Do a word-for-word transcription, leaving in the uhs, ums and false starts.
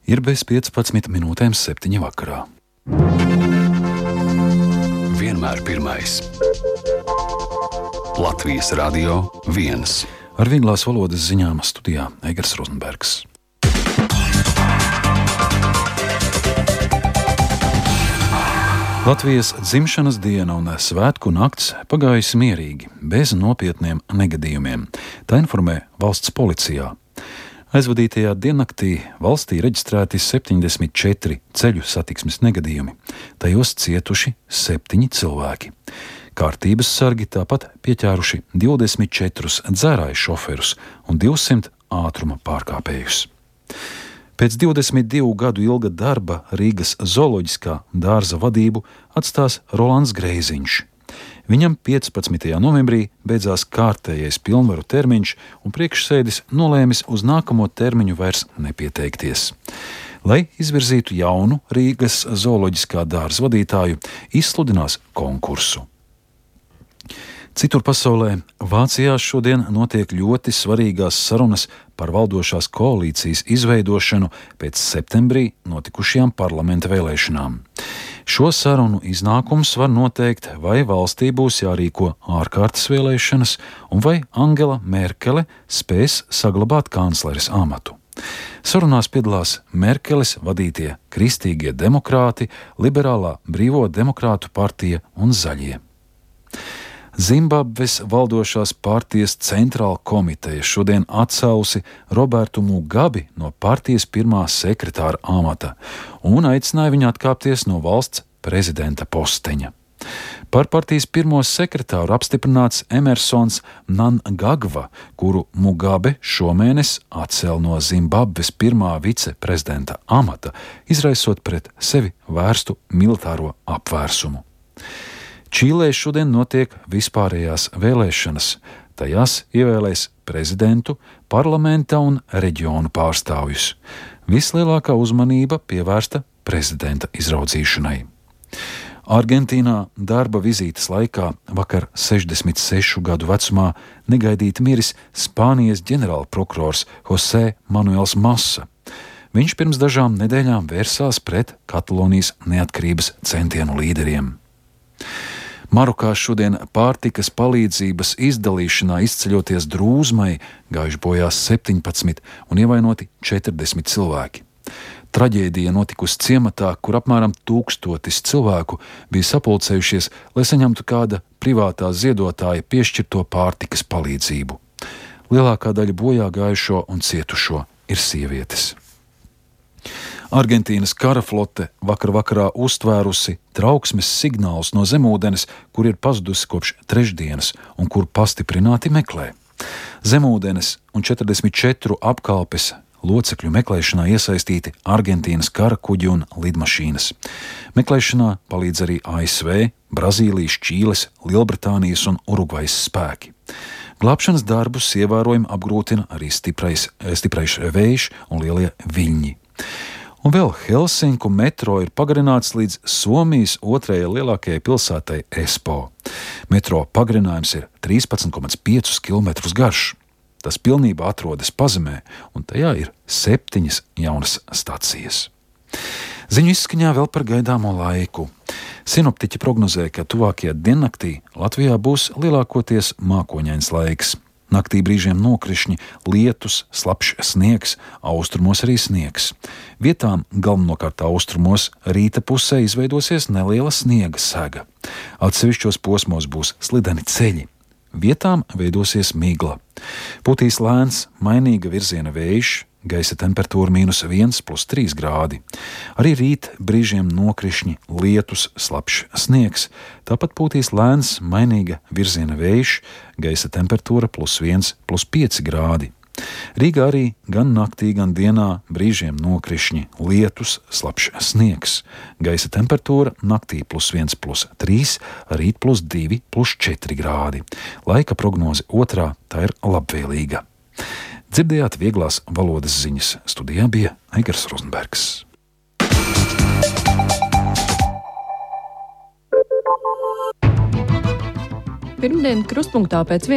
Ir bez piecpadsmit minūtēm septiņi vakarā. Vienmēr pirmais. Latvijas Radio viens. Ar vieglās valodas ziņām studijā Eigars Rozenbergs. Latvijas dzimšanas diena un svētku nakts pagājusi mierīgi, bez nopietniem negadījumiem. Tā informē valsts policijā. Aizvadītajā diennaktī valstī reģistrēti septiņdesmit četri ceļu satiksmes negadījumi. Tajos cietuši septiņi cilvēki. Kārtības sargi tāpat pieķēruši divdesmit četrus dzērāju šoferus un divsimt ātruma pārkāpējus. Pēc divdesmit divu gadu ilga darba Rīgas zooloģiskā dārza vadību atstās Rolands Greiziņš. Viņam piecpadsmitajā novembrī beidzās kārtējais pilnvaru termiņš, un priekšsēdis nolēmis uz nākamo termiņu vairs nepieteikties. Lai izvirzītu jaunu Rīgas zooloģiskā dārza vadītāju, izsludinās konkursu. Citur pasaulē, Vācijā šodien notiek ļoti svarīgās sarunas par valdošās koalīcijas izveidošanu pēc septembrī notikušajām parlamenta vēlēšanām. Šo sarunu iznākums var noteikt, vai valstī būs jārīko ārkārtas vēlēšanas un vai Angela Merkele spēs saglabāt kancleres amatu. Sarunās piedalās Merkeles vadītie kristīgie demokrāti, liberālā brīvo demokrātu partija un zaļie. Zimbabves valdošās partijas centrāla komiteja šodien atcēlusi Robertu Mugabi no partijas pirmā sekretāra amata un aicināja viņu atkāpties no valsts prezidenta posteņa. Par partijas pirmo sekretāru apstiprināts Emersons Mnangagwa, kuru Mugabe šomēnes atcēla no Zimbabves pirmā viceprezidenta amata, izraisot pret sevi vērstu militāro apvērsumu. Čīlē šodien notiek vispārējās vēlēšanas. Tajās ievēlēs prezidentu, parlamenta un reģionu pārstāvjus. Vislielākā uzmanība pievērsta prezidenta izraudzīšanai. Argentīnā darba vizītes laikā vakar sešdesmit sešu gadu vecumā negaidīti miris Spānijas ģenerālprokurors José Manuels Massa. Viņš pirms dažām nedēļām vērsās pret Katalonijas neatkarības centienu līderiem. Marokā šodien pārtikas palīdzības izdalīšanā izceļoties drūzmai gājuši bojā septiņpadsmit un ievainoti četrdesmit cilvēki. Traģēdija notikusi ciematā, kur apmēram tūkstotis cilvēku bija sapulcējušies, lai saņemtu kāda privātā ziedotāja piešķirto pārtikas palīdzību. Lielākā daļa bojā gājušo un cietušo ir sievietes. Argentīnas kara flote vakar vakarā uztvērusi trauksmes signālus no zemūdenes, kur ir pazudusi kopš trešdienas un kur pastiprināti meklē. Zemūdenes un četrdesmit četru apkalpes locekļu meklēšanā iesaistīti Argentīnas kara kuģi un lidmašīnas. Meklēšanā palīdz arī A S V, Brazīlijas, Čīles, Lielbritānijas un Urugvajas spēki. Glābšanas darbus ievērojami apgrūtina arī stiprais, stiprais vējš un lielie viļņi. Un vēl Helsinku metro ir pagarināts līdz Somijas otrajai lielākajai pilsētai Espoo. Metro pagarinājums ir trīspadsmit komats pieci kilometri garš. Tas pilnībā atrodas pazemē, un tajā ir septiņas jaunas stacijas. Ziņu izskaņā vēl par gaidāmo laiku. Sinoptiķi prognozē, ka tuvākajā diennaktī Latvijā būs lielākoties mākoņains laiks. Naktī brīžiem nokrišņi, lietus, slapjš sniegs, austrumos arī sniegs. Vietām, galvenokārt austrumos, rīta pusē izveidosies neliela sniega sega. Atsevišķos posmos būs slideni ceļi. Vietām veidosies migla. Putīs lēns, mainīga virziena vējš, gaisa temperatūra mīnus viens plus trīs grādi. Arī rīt brīžiem nokrišņi, lietus, slapjš sniegs. Tāpat pūtīs lēns, mainīga virziena vējš, gaisa temperatūra plus viens plus pieci grādi. Rīgā arī gan naktī, gan dienā brīžiem nokrišņi, lietus, slapjš sniegs. Gaisa temperatūra naktī plus viens plus trīs, rīt plus divi plus četri grādi. Laika prognoze otrā, tā ir labvēlīga. Dzirdējāt vieglās valodas ziņas. Studijā bija Eigars Rozenbergs. Pirmdien krustpunktā pēc